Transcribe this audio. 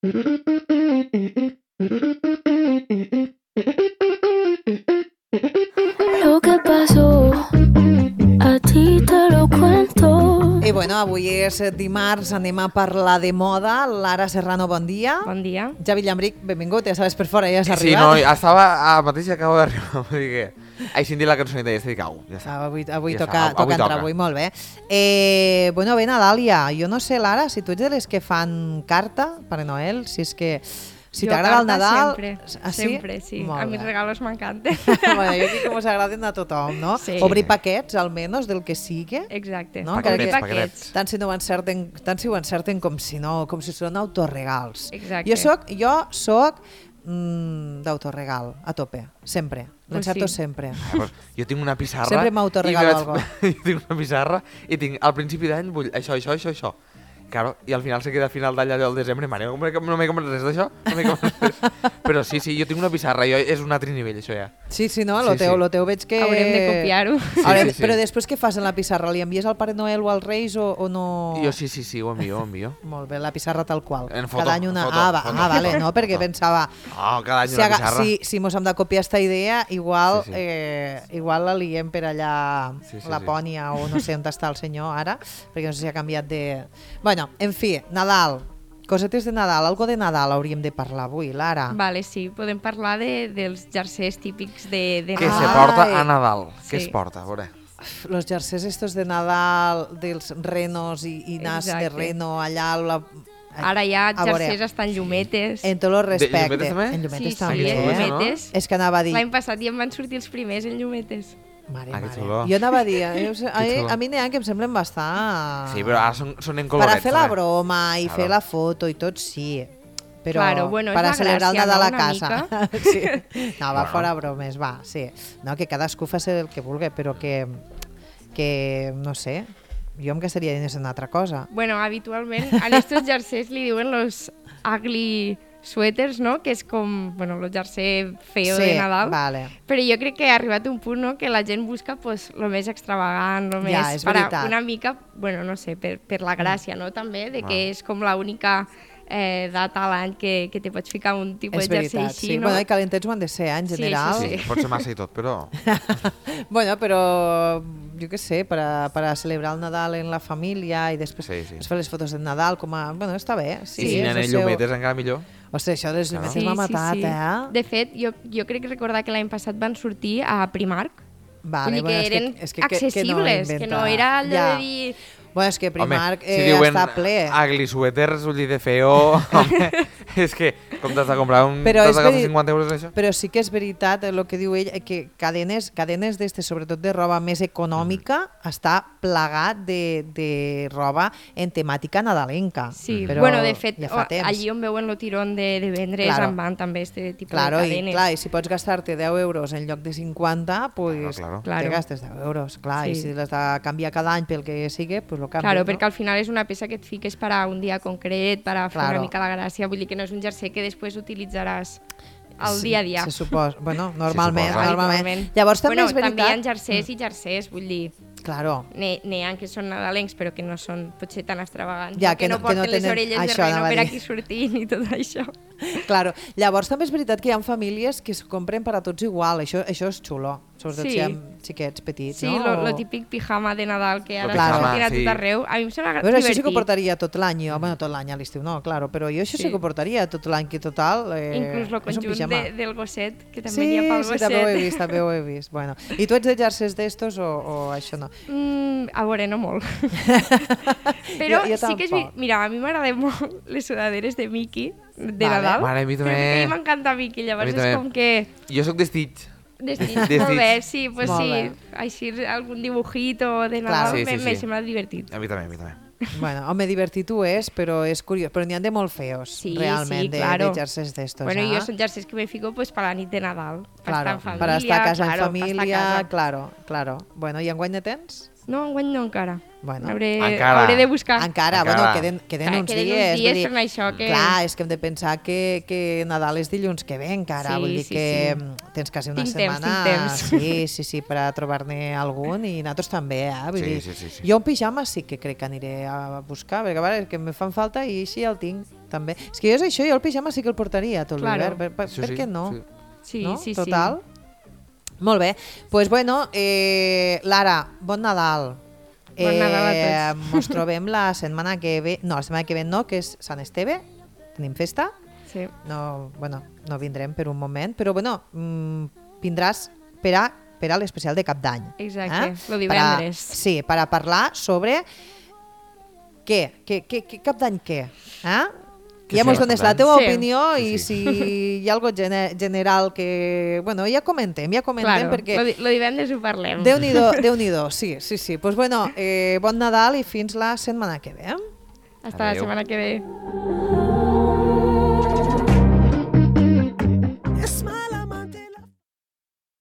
Lo que pasó, a ti te lo cuento. I bueno, avui és dimarts, anem a parlar de moda. Lara Serrano, bon dia. Bon dia. Javi Llambric, benvingut, ja sabes per fora, ja has Sí, arribat. no, estava mateix que acabo d'arribar, vull dir que... Ai, sin dir la cançoneta, ja estic, au, ja està. Avui Ja toca, està, toca avui entrar, toca. avui molt bé. Bueno, bé, Nadàlia, jo no sé, Lara, si tu ets de les que fan carta, Pare Noel, si és que... Si Jo t'agrada el carta Nadal... Sempre, Ah, sí? sempre, sí. Molt A mis bé. regalos m'encanten. Bueno, jo crec que mos agraden a tothom, no? Sí. Obrir paquets, almenys, del que sigui. Exacte. No? Obrir Paquetets, paquets. Tant si ho encerten com si no, com si són autorregals. Exacte. Jo soc d'autorregal, a tope, sempre. L'encerto sí. sempre. Llavors, jo tinc una pissarra... Sempre m'autoregalo i algo. Jo tinc una pissarra i tinc, al principi d'any vull això. Claro, i al final se queda a final d'any allò al desembre, mare, no m'he comprat res d'això, no m'he comprat res. Però sí, jo tinc una pissarra, és un altre nivell, això ja. Sí, no, Sí, lo teu veig que... Haurem de copiar-ho. Sí. Però després què fas en la pissarra? Li envies al Pare Noel o als Reis o no? Jo sí, ho envio. Molt bé, la pissarra tal qual. En foto, Cada any una... foto. Vale, no, perquè pensava... No, cada any una pissarra. Si mos hem de copiar esta idea, igual, Sí. igual la liem per allà Sí. Lapònia o no sé on està el senyor ara, perquè no sé si ha canviat de... Bueno, en fi, Nadal, cosetes de Nadal, algo de Nadal hauríem de parlar avui, Lara. Vale, sí, podem parlar dels jersers típics de Què se Nadal. porta a Nadal? Sí. Què es porta, a veure? Los jerseys estos de Nadal, dels renos i nas de Exacte. reno allà... Ara hi ha A veure, jersers hasta en llumetes. En tots els respectes. llumetes també? En llumetes Sí, també, en eh? llumetes. És que anava a dir... L'any passat ja em van sortir els primers en llumetes. Mare, Ah, que mare. xulo. Jo anava a dir... xulo. A mi n'hi ha que em semblen bastant... Sí, però ara són en Per colorets. a fer la també. broma i Claro. fer la foto i tot, sí. Però Claro, bueno, és per a la celebrar el gràcia, Nadal no? a Una casa. Sí. No, va Bueno. fora bromes, va, sí. No, que cadascú faci el que vulgui, però que no sé, jo em gastaria diners en una altra cosa. Bueno, habitualment a estos jersers li diuen los ugly sweaters, no? Que és com, bueno, el jersey feo Sí, de Nadal. vale. Però jo crec que ha arribat un punt, no?, que la gent busca pues, lo més extravagant, lo Ja, més... és veritat. una mica, bueno, no sé, per la gràcia, no?, també, de que és com l'única data a l'any que te pots ficar un tipus És de jersei veritat, així, sí. no? Bueno, i calentets ho han de ser, en Sí, general. sí, Sí, pot ser massa i tot, però... Bueno, però jo què sé, per a celebrar el Nadal en la família i després Sí. es fer les fotos de Nadal com a... Bueno, està bé. Sí, I si és n'hi el ha seu- llumetes encara millor. Ostres, això dels llumetes Sí, m'ha matat, sí, sí. eh? De fet, jo crec recordar que l'any passat van sortir a Primark. Vale, Vull dir que eren accessibles, que no era allò de dir... Bueno, és que Primark si diuen està ple. ugly sweaters, ull de feo... Home, és que com t'has de comprar un... Però T'has és de gastar veri- 50 euros en això? Però sí que és veritat el que diu ell, que cadenes d'estes, sobretot de roba més econòmica, està plagat de roba en temàtica nadalenca. Sí, Però bueno, de fet, ja fa temps. allí on veuen el tirón de vendre Claro. en van també este tipus Claro, de cadenes. i si pots gastar-te 10 euros en lloc de 50, pues Claro. te gastes 10 euros. Clar, Sí. i si l'has de canviar cada any pel que sigui, pues lo canvies. Claro, no? perquè al final és una peça que et fiques per a un dia concret, per a fer Claro. una mica la gràcia, vull dir que no és un jersei que després utilitzaràs al dia a dia. Se suposa. Bueno, normalment. suposa. Normalment. Llavors també és veritat... També hi ha jersers i jersers, vull dir, Claro. n'hi ha que són nadalencs però que no són potser tan extravagants, Ja, o que que no no- que no porten les tenen- orelles de això reno anava a per dir. aquí sortint i tot això. Claro. Llavors també és veritat que hi ha famílies que es compren per a tots igual. Això és xulo, sobretot Sí. si hi ha xiquets petits, Sí, no? lo típic pijama de Nadal que ara Claro. està sortint a Sí. tot arreu, a mi em sembla A veure, això sí divertit. que ho portaria tot l'any, jo. Bueno, tot l'any a l'estiu no, claro, però jo això sí que ho portaria tot l'any, que total... Inclús el és un conjunt pijama. del gosset, que també Sí, n'hi ha pel sí, gosset. també ho he vist, també ho he vist. Bueno. I tu ets de jerseys d'estos o això no? A veure, no molt. Però Jo sí que és... tampoc. Mira, a mi m'agraden molt les sudaderes de Mickey, de Vale. Nadal. Mare, a mi també. Que a mi m'encanta Mickey, llavors A mi és també. com que... Jo sóc de Stitch. Molt Stitch. bé, sí, pues Molt sí. bé. Així algun dibujito de Claro. Nadal Sí, sí, me sí. sembla divertit. A mi també. Bueno, home, divertit ho és, però és curiós. Però n'hi ha de molt feos, Sí, realment, sí, de claro. jerseys d'estos. Bueno, jo són jerseis que me fico pues, per la nit de Nadal. Per estar Claro, en família, para estar a casa claro, en per estar a família, casa. claro. Bueno, i enguany ne tens? No, enguany no encara. Bueno. Encara. Hauré de buscar. Encara, Encara. bueno, queden uns Queden dies. uns dies vull dir, per això que... Clar, és que hem de pensar que Nadal és dilluns que ve encara, Sí, vull dir sí, que sí. tens quasi una Tinc temps, setmana... tinc temps. Sí, per a trobar-ne algun i nosaltres també, vull Sí, dir. sí. Jo un pijama sí que crec que aniré a buscar, perquè a veure, que me fan falta i així el tinc. també. És que jo és això, jo el pijama sí que el portaria tot Claro. l'hivern. Per Sí, sí, què no? sí. Sí, no? sí, Total. Molt bé. Pues bueno, Lara, bon Nadal. Bon Nadal a tots. Mos trobem la setmana que ve, no, la setmana que ve no, que és Sant Esteve, tenim festa. sí. No, bueno, no vindrem per un moment, però bueno, vindràs per a l'especial de Cap d'Any. Exacte, lo divendres. Sí, per a parlar sobre què Cap d'Any què? Que Ja sí, mos Cap dones d'Any. la teva Sí. opinió i Sí, si hi ha algo general que... Bueno, ja comentem Claro, perquè... lo divendres ho parlem. Déu-n'hi-do, sí. Pues bueno, bon Nadal i fins la setmana que ve. Hasta la Adeu. setmana que ve.